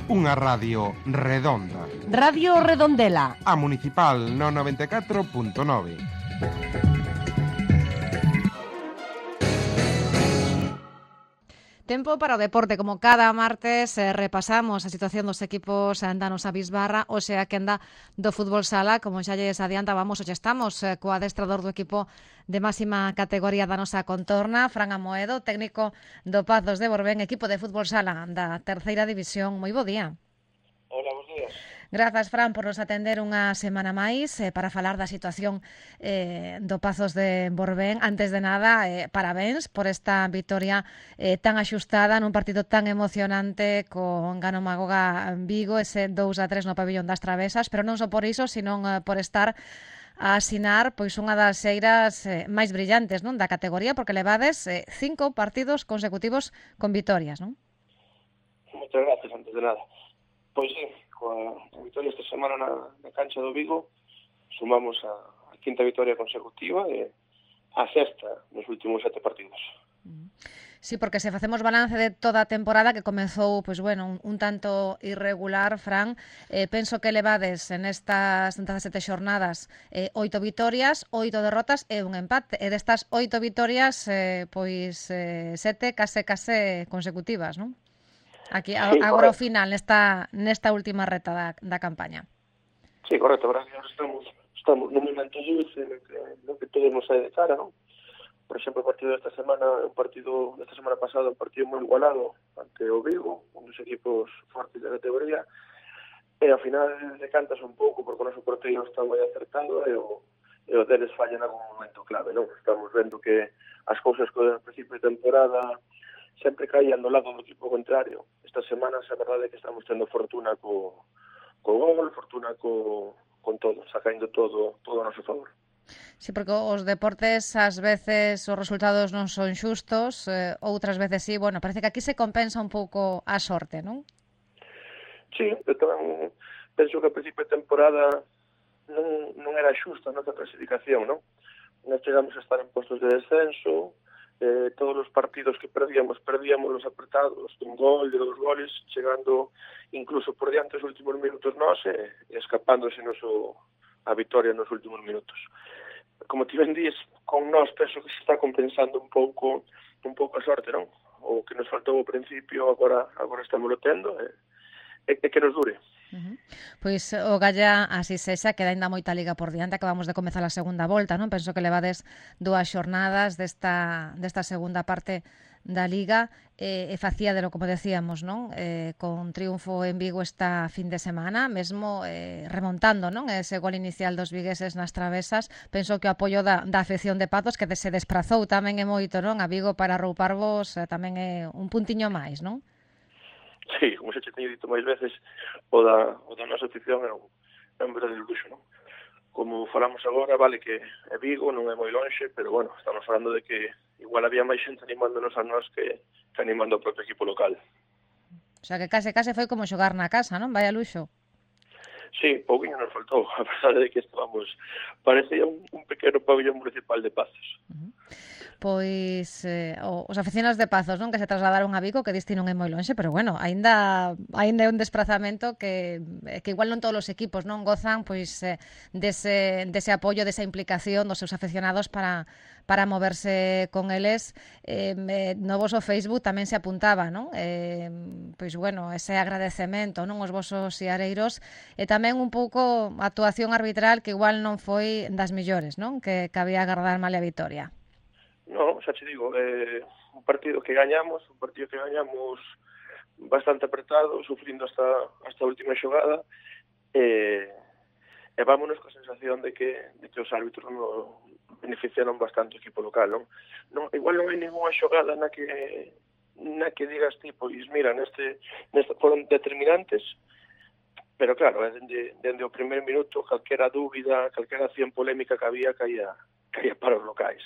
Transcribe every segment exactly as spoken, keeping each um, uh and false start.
Unha radio redonda. Radio Redondela. A Municipal no noventa e catro punto nove. Tempo para o deporte, como cada martes eh, repasamos a situación dos equipos da nosa bisbarra, hoxe a quenda do fútbol sala, como xa lles adiantábamos, hoxe estamos eh, co adestrador do equipo de máxima categoría da nosa contorna, Fran Amoedo, técnico do Pazos de Borbén, equipo de fútbol sala da terceira división. Moi bo día. Hola, bons días. Grazas, Fran, por nos atender unha semana máis eh, para falar da situación eh, do Pazos de Borbén. Antes de nada, eh, parabéns por esta vitoria eh, tan axustada nun partido tan emocionante con Gano Magoga Vigo, ese dous a tres no pabillón das Travesas, pero non só por iso, sino eh, por estar a asinar pois unha das xeiras eh, máis brillantes, non, da categoría, porque levades eh, cinco partidos consecutivos con vitorias, non? Moitas gracias, antes de nada. Pois sí, coa vitoria esta semana na, na cancha do Vigo sumamos a, a quinta vitoria consecutiva e a sexta nos últimos sete partidos. Sí, porque se facemos balance de toda a temporada que comezou, pois bueno, un, un tanto irregular, Fran, eh, penso que levades en estas sete xornadas eh, oito vitorias, oito derrotas e un empate. E destas oito vitorias, eh, pois eh, sete case case consecutivas, non? Aquí, sí, agora ao final, nesta, nesta última reta da, da campaña. Sí, correcto, verdad que ahora estamos, estamos nun momento dulce no que, no que todo nos sai de cara, non? Por exemplo, o partido desta semana, un partido desta semana pasada, un partido moi igualado ante o Vigo, un dos equipos fortes da categoría, e ao final decantas un pouco porque o noso porteiro está moi acertado e o, e o deles falla en algún momento clave, non? Estamos vendo que as cousas que ao principio de temporada sempre caían do lado do equipo contrario. Estas semanas a verdade é que estamos tendo fortuna co, co gol, fortuna co, con todo, sacando todo, todo a noso favor. Sí, porque os deportes ás veces os resultados non son xustos, eh, outras veces sí, bueno, parece que aquí se compensa un pouco a sorte, non? Sí, eu tamén penso que a principio de temporada non, non era xusta a nosa clasificación, non? Nós chegamos a estar en postos de descenso, eh, todos os partidos que perdíamos, perdíamos los apretados, un gol, de dos goles, chegando incluso por diante os últimos minutos nós e, e escapándose noso, a vitoria nos últimos minutos. Como ti ben dís, con nós penso que se está compensando un pouco un pouco a sorte, non? O que nos faltou ao principio, agora agora estamos lotendo e, e, e que nos dure. Uh-huh. Pois o Galla así sexa, queda ainda moita liga por diante, acabamos de comezar a segunda volta, non? Penso que levades dúas xornadas desta, desta segunda parte da liga e, e facía de lo, como decíamos, non? Eh, con triunfo en Vigo esta fin de semana, mesmo eh, remontando, non? Ese gol inicial dos vigueses nas Travesas. Penso que o apoio da, da afección de Pazos, que se desprazou tamén é moito, non? A Vigo para rouparvos eh, tamén é un puntiño máis, non? Sí, como xa te teño dito máis veces, o da, o da nosa afición é un, é un verdadeiro luxo, non? Como falamos agora, vale que é Vigo, non é moi lonxe, pero bueno, estamos falando de que igual había máis xente animándonos a nós que, que animando ao propio equipo local. O sea que case case foi como xogar na casa, non? Vaya luxo. Sí, pouquinho nos faltou, a pesar de que estábamos, parecía un, un pequeno pabellón municipal de Pazos. Uh-huh. Pois eh, os aficionados de Pazos, non, que se trasladaron a Vigo, que diste non é moi lonxe, pero bueno, aínda aínda é un desprazamento que que igual non todos os equipos non gozan pois eh, dese dese apoio, desa implicación dos seus aficionados para para moverse con eles. Eh, no voso Facebook tamén se apuntaba, non? Eh, pois bueno, ese agradecemento, non, aos vosos siareiros e tamén un pouco a actuación arbitral que igual non foi das mellores, non? Que cabía agardar mal a vitoria. No, xa te digo, eh, un partido que gañamos, un partido que gañamos bastante apretado, sufrindo hasta hasta a última xogada, e, e vámonos coa sensación de que, de que os árbitros no beneficiaron bastante o equipo local, non? non igual non hai ninguna xogada na que na que digas ti, pois mira, neste, neste foron determinantes, pero claro, dende, dende o primer minuto, calquera dúbida, calquera acción polémica que había, caía, caía para os locais.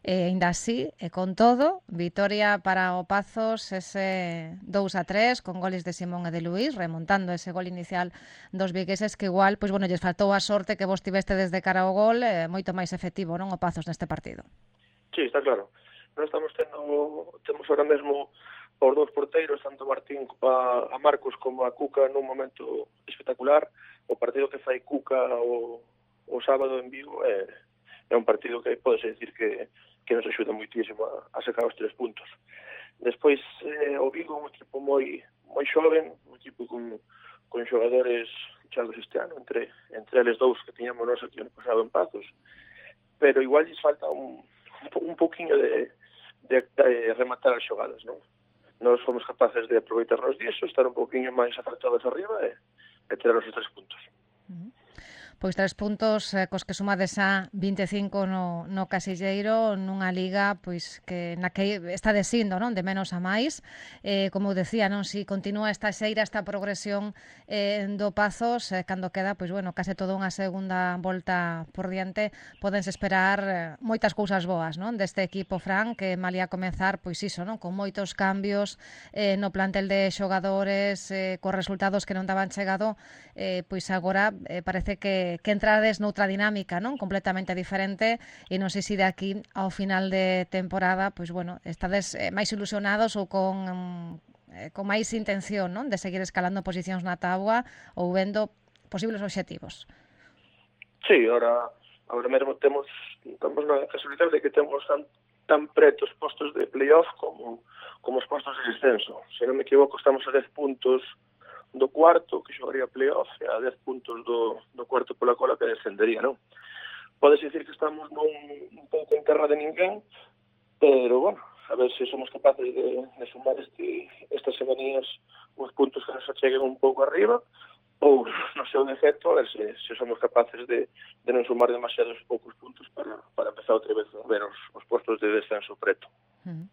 E ainda así, e con todo, vitoria para o Pazos, ese dous a tres, con goles de Simón e de Luís, remontando ese gol inicial dos vigueses, que igual, pois bueno, lles faltou a sorte que vos tiveste desde cara ao gol, eh, moito máis efectivo, non, o Pazos neste partido. Sí, está claro. Non estamos tendo, temos ahora mesmo os dous porteiros, tanto Martín a, a Marcos como a Cuca nun momento espectacular. O partido que fai Cuca o, o sábado en Vigo é, é un partido que pode decir que, que nos axuda moitísimo a, a sacar os tres puntos. Despois, eh, o Vigo é un equipo moi moi xoven, un equipo con, con xogadores chaves este ano, entre, entre eles dous que tiñamos nós aquí ano pasado en Pazos, pero igual lles falta un, un pouquiño de, de, de rematar as xogadas, non? Nós fomos capaces de aproveitarnos disso, estar un pouquiño máis acertados arriba e, e tirar os tres puntos. Uh-huh. Pois tres puntos eh, cos que sumades a vinte e cinco no, no casilleiro nunha liga pois que na que está desindo, non, de menos a máis. Eh, como decía, non, si continúa esta xeira, esta progresión eh, do Pazos, eh, cando queda, pois bueno, case toda unha segunda volta por diante, podense esperar eh, moitas cousas boas, non, deste equipo, Fran, que malía comenzar, pois iso, non, con moitos cambios eh, no plantel de xogadores, eh, cos resultados que non daban chegado, eh, pois agora eh, parece que que entrades noutra dinámica, non? Completamente diferente, e non sei se de aquí ao final de temporada, pois bueno, estades eh, máis ilusionados ou con eh, con máis intención, non? De seguir escalando posicións na táboa ou vendo posibles obxectivos. Sí, ahora agora mesmo temos estamos na casualidade de que temos tan, tan pretos postos de playoff como, como os postos de descenso. Se non me equivoco, estamos a dez puntos do cuarto, que xogaría playoff, e a dez puntos do, do cuarto pola cola que descendería, non? Podes dicir que estamos nun, un pouco en terra de ninguén, pero, bueno, a ver se somos capaces de, de sumar este, estas semanías os puntos que nos acheguen un pouco arriba, ou, no seu defecto, a ver se, se somos capaces de, de non sumar demasiados poucos puntos para, para empezar outra vez a ver os, os postos de descenso preto. Uh-huh.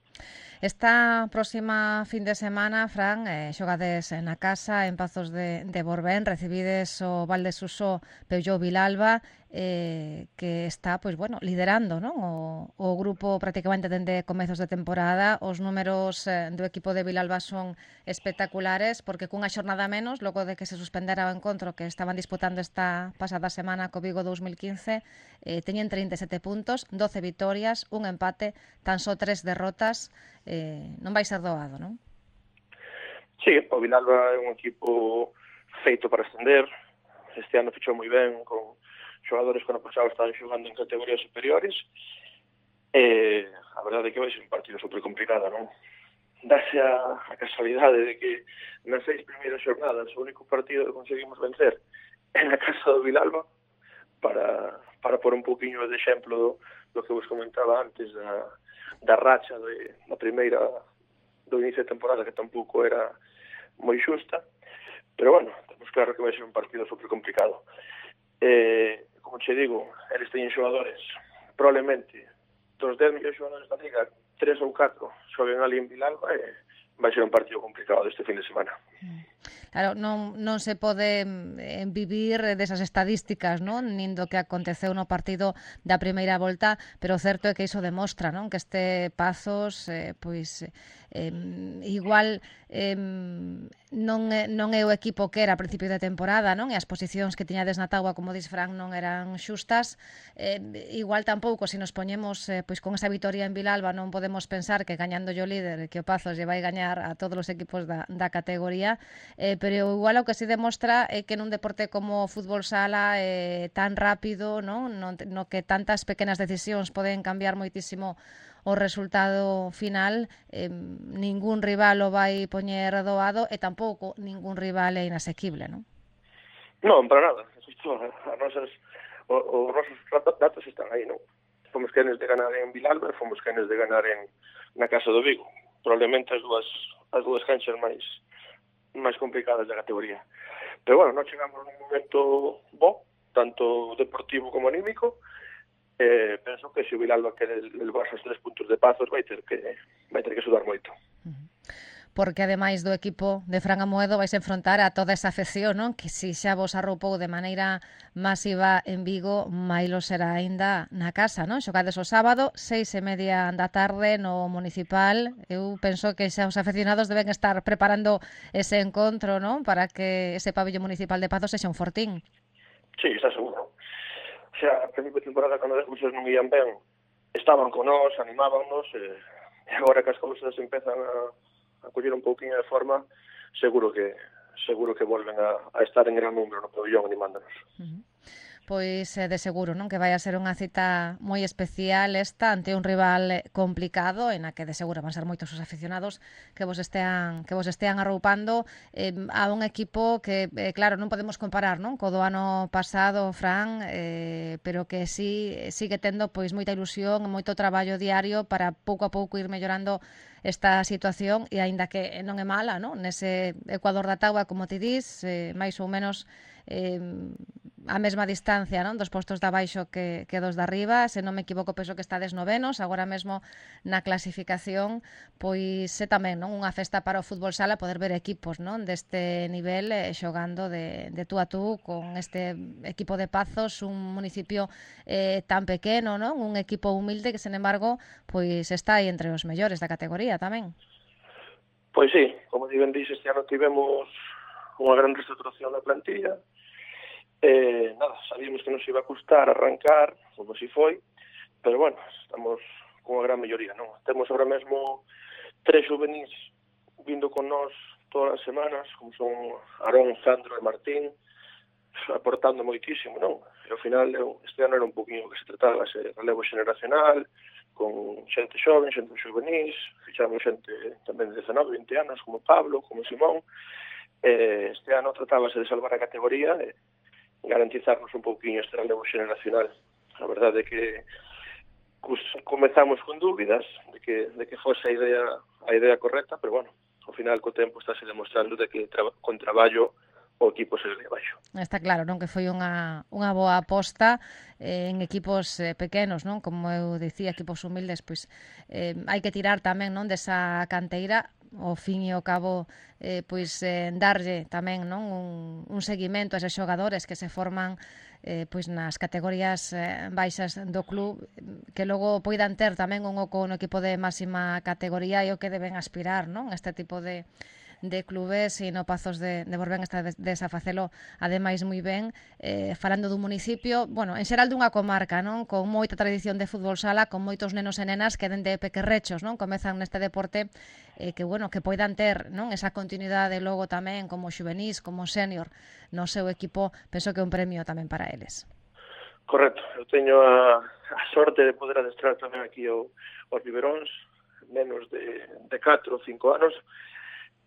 Esta próxima fin de semana, Fran, eh, xogades na casa en Pazos de, de Borbén, recibides o Valdesusó Peugeot Vilalba, eh, que está, pois bueno, liderando, non? O, o grupo prácticamente dende comezos de temporada. Os números eh, do equipo de Vilalba son espectaculares, porque cunha xornada menos, logo de que se suspendera o encontro que estaban disputando esta pasada semana co Vigo dous mil quince, eh, teñen trinta e sete puntos, doce vitorias, un empate, tan só tres derrotas. Eh, non vai ser doado, non? Sí, o Vilalba é un equipo feito para ascender. Este ano fichou moi ben con xogadores que no pasado estaban xogando en categorías superiores. E a verdade é que vai ser un partido super complicado, non? Dase a, a casualidade de que nas seis primeiras xornadas o único partido que conseguimos vencer é na casa do Vilalba, para, para pôr un poquinho de exemplo do, do que vos comentaba antes da da racha de, da primeira do inicio de temporada, que tampouco era moi xusta, pero bueno, temos claro que vai ser un partido super complicado. Eh, como che digo, eles teñen xogadores, probablemente dos dez millóns xogadores da liga, tres ou catro xoguen ali en Vilalba, e vai ser un partido complicado este fin de semana. Claro, non, non se pode eh, vivir desas estadísticas, non? Nin do que aconteceu no partido da primeira volta, pero o certo é que iso demostra, non? Que este Pazos, eh, pois, eh, igual eh, non, é, non é o equipo que era a principio de temporada, non? E as posicións que tiñades na táboa, como dis Fran, non eran xustas. Eh, igual tampouco, se nos poñemos eh, pois con esa vitoria en Vilalba, non podemos pensar que gañando o líder, que o Pazos lle vai gañar a todos os equipos da, da categoría, eh, pero igual o que se demostra é que nun deporte como o fútbol sala eh, tan rápido, non? No, no que tantas pequenas decisións poden cambiar moitísimo o resultado final, eh, ningún rival o vai poñer doado e tampouco ningún rival é inasequible, non? Non, para nada. Isto, as nosas, os, os nosos datos están aí, non? Fomos quenes de ganar en Vilalba e fomos quenes de ganar en na Casa do Vigo. Probablemente as dúas as dúas canchas máis máis complicadas da categoría. Pero bueno, non chegamos nun momento bo, tanto deportivo como anímico. Eh, penso que se o Vilalba quere levarse os tres puntos de Pazos vai ter que vai ter que sudar moito. Porque ademais do equipo de Fran Amoedo vais enfrontar a toda esa afección, non? Que si xa vos arroupou de maneira masiva en Vigo, mailo será aínda na casa, non? Xogades o sábado, seis e media da tarde no Municipal. Eu penso que xa os aficionados deben estar preparando ese encontro, non? Para que ese pabellón municipal de Pazos sexa un fortín. Sí, está seguro. O sea, a principio de temporada, cando as cousas non ían ben, estaban con nós, animábamos, e agora que as cousas empezan a a coller un pouquinho de forma, seguro que seguro que volven a, a estar en gran número no pabellón animándonos. Uh-huh. Pois eh, de seguro, non, que vai a ser unha cita moi especial esta ante un rival complicado en a que de seguro van ser moitos os aficionados que vos estean que vos estean arroupando eh, a un equipo que eh, claro, non podemos comparar, non, co do ano pasado, Fran, eh, pero que sí sigue tendo pois moita ilusión, moito traballo diario para pouco a pouco ir mellorando esta situación e aínda que non é mala, non, nese Ecuador da táboa, como ti dis, eh, máis ou menos eh, a mesma distancia, non, dos postos de abaixo que, que dos de arriba. Se non me equivoco, penso que estades novenos agora mesmo na clasificación. Pois é tamén, non, unha festa para o fútbol sala poder ver equipos, non, deste nivel eh, xogando de, de tú a tú con este equipo de Pazos, un municipio eh, tan pequeno, non, un equipo humilde que, sen embargo, pois está aí entre os mellores da categoría tamén. Pois sí, como ti ben dixes, este ano tivemos unha gran reestructuración da plantilla. Eh, nada, sabíamos que nos iba a custar arrancar, como si foi, pero bueno, estamos con unha gran melloría, non? Temos agora mesmo tres juvenis vindo con nós todas as semanas, como son Arón, Sandro e Martín, aportando moitísimo, non? E ao final, este ano era un poquinho que se trataba ese relevo xeneracional, con xente xoven, xente juvenis, fichamos xente tamén de dezanove, vinte anos, como Pablo, como Simón. Eh, este ano tratábase de salvar a categoría e garantizarnos un pouquinho este relevo xeneracional. A verdade é que comezamos con dúbidas de que, de que fose a idea, a idea correcta, pero bueno, ao final co tempo estáse demostrando de que tra con traballo o equipo se le baixo. Está claro, non, que foi unha, unha boa aposta eh, en equipos eh, pequenos, non, como eu dicía, equipos humildes, pois eh, hai que tirar tamén, non, desa canteira, ao fin e ao cabo eh, pois eh, darlle tamén, non, un, un seguimento a eses xogadores que se forman eh, pois nas categorías eh, baixas do club, que logo poidan ter tamén un oco no equipo de máxima categoría e o que deben aspirar, non, este tipo de de clubes, e no Pazos de, de Borbén está de, desafacelo ademais moi ben, eh, falando dun municipio, bueno, en xeral dunha comarca, non, con moita tradición de fútbol sala, con moitos nenos e nenas que dende pequerrechos, non, comezan neste deporte, eh, que bueno, que poidan ter, non, esa continuidade logo tamén como xuvenís, como senior no seu equipo, penso que é un premio tamén para eles. Correcto, eu teño a, a sorte de poder adestrar tamén aquí o, os biberóns, menos de, de catro ou cinco anos.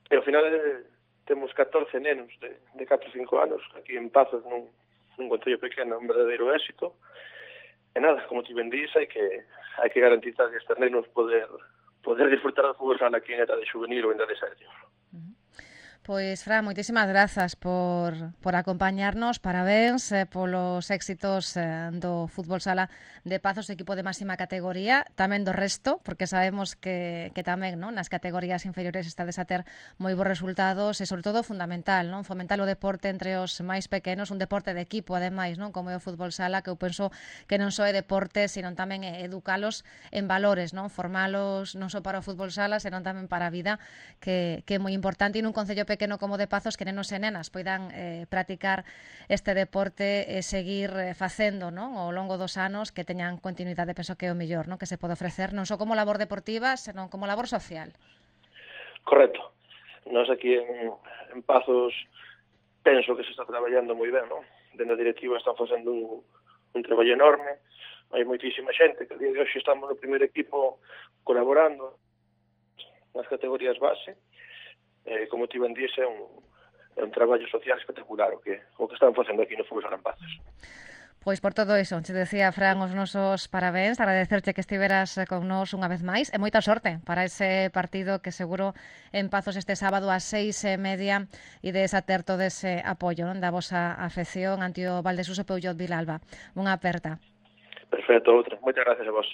E ao final eh, temos catorce nenos de, de catro ou cinco anos aquí en Pazos, nun, nun concello pequeno, un verdadeiro éxito. E nada, como ti ben dís, hai que, hai que garantizar que estes nenos poder, poder disfrutar do fútbol sala aquí en edade juvenil ou en edade senior. Pois, Fran, moitísimas grazas por, por acompañarnos, parabéns eh, polos éxitos eh, do fútbol sala de Pazos, equipo de máxima categoría, tamén do resto, porque sabemos que, que tamén, non, nas categorías inferiores estades a ter moi bons resultados e, sobre todo, fundamental, non, fomentar o deporte entre os máis pequenos, un deporte de equipo, ademais, non, como é o fútbol sala, que eu penso que non só é deporte, sino tamén é educalos en valores, non, formalos non só para o fútbol sala, senón tamén para a vida, que, que é moi importante, e nun concello pequeno pequeno como de Pazos, que nenos e nenas poidan eh, practicar este deporte e seguir eh, facendo, non, ao longo dos anos, que teñan continuidade, penso que é o mellor, non, que se pode ofrecer non só como labor deportiva, senón como labor social. Correcto. Nós aquí en, en Pazos penso que se está traballando moi ben, non? Dende a directiva están facendo un, un traballo enorme, hai moitísima xente que a día de hoxe estamos no primeiro equipo colaborando nas categorías base. Eh, como ti ben dixe, é un, é un traballo social espectacular o que, o que están facendo aquí no Fútbol Sala en Pazos. Pois por todo iso, te decía, Fran, os nosos parabéns, agradecerche que estiveras con nós unha vez máis, e moita sorte para ese partido que seguro en Pazos este sábado ás seis e media e de esa ter todo ese apoio, non, da vosa afección ante o Valdesuso Peulloz Vilalba. Unha aperta. Perfecto, outra. Moitas gracias a vos.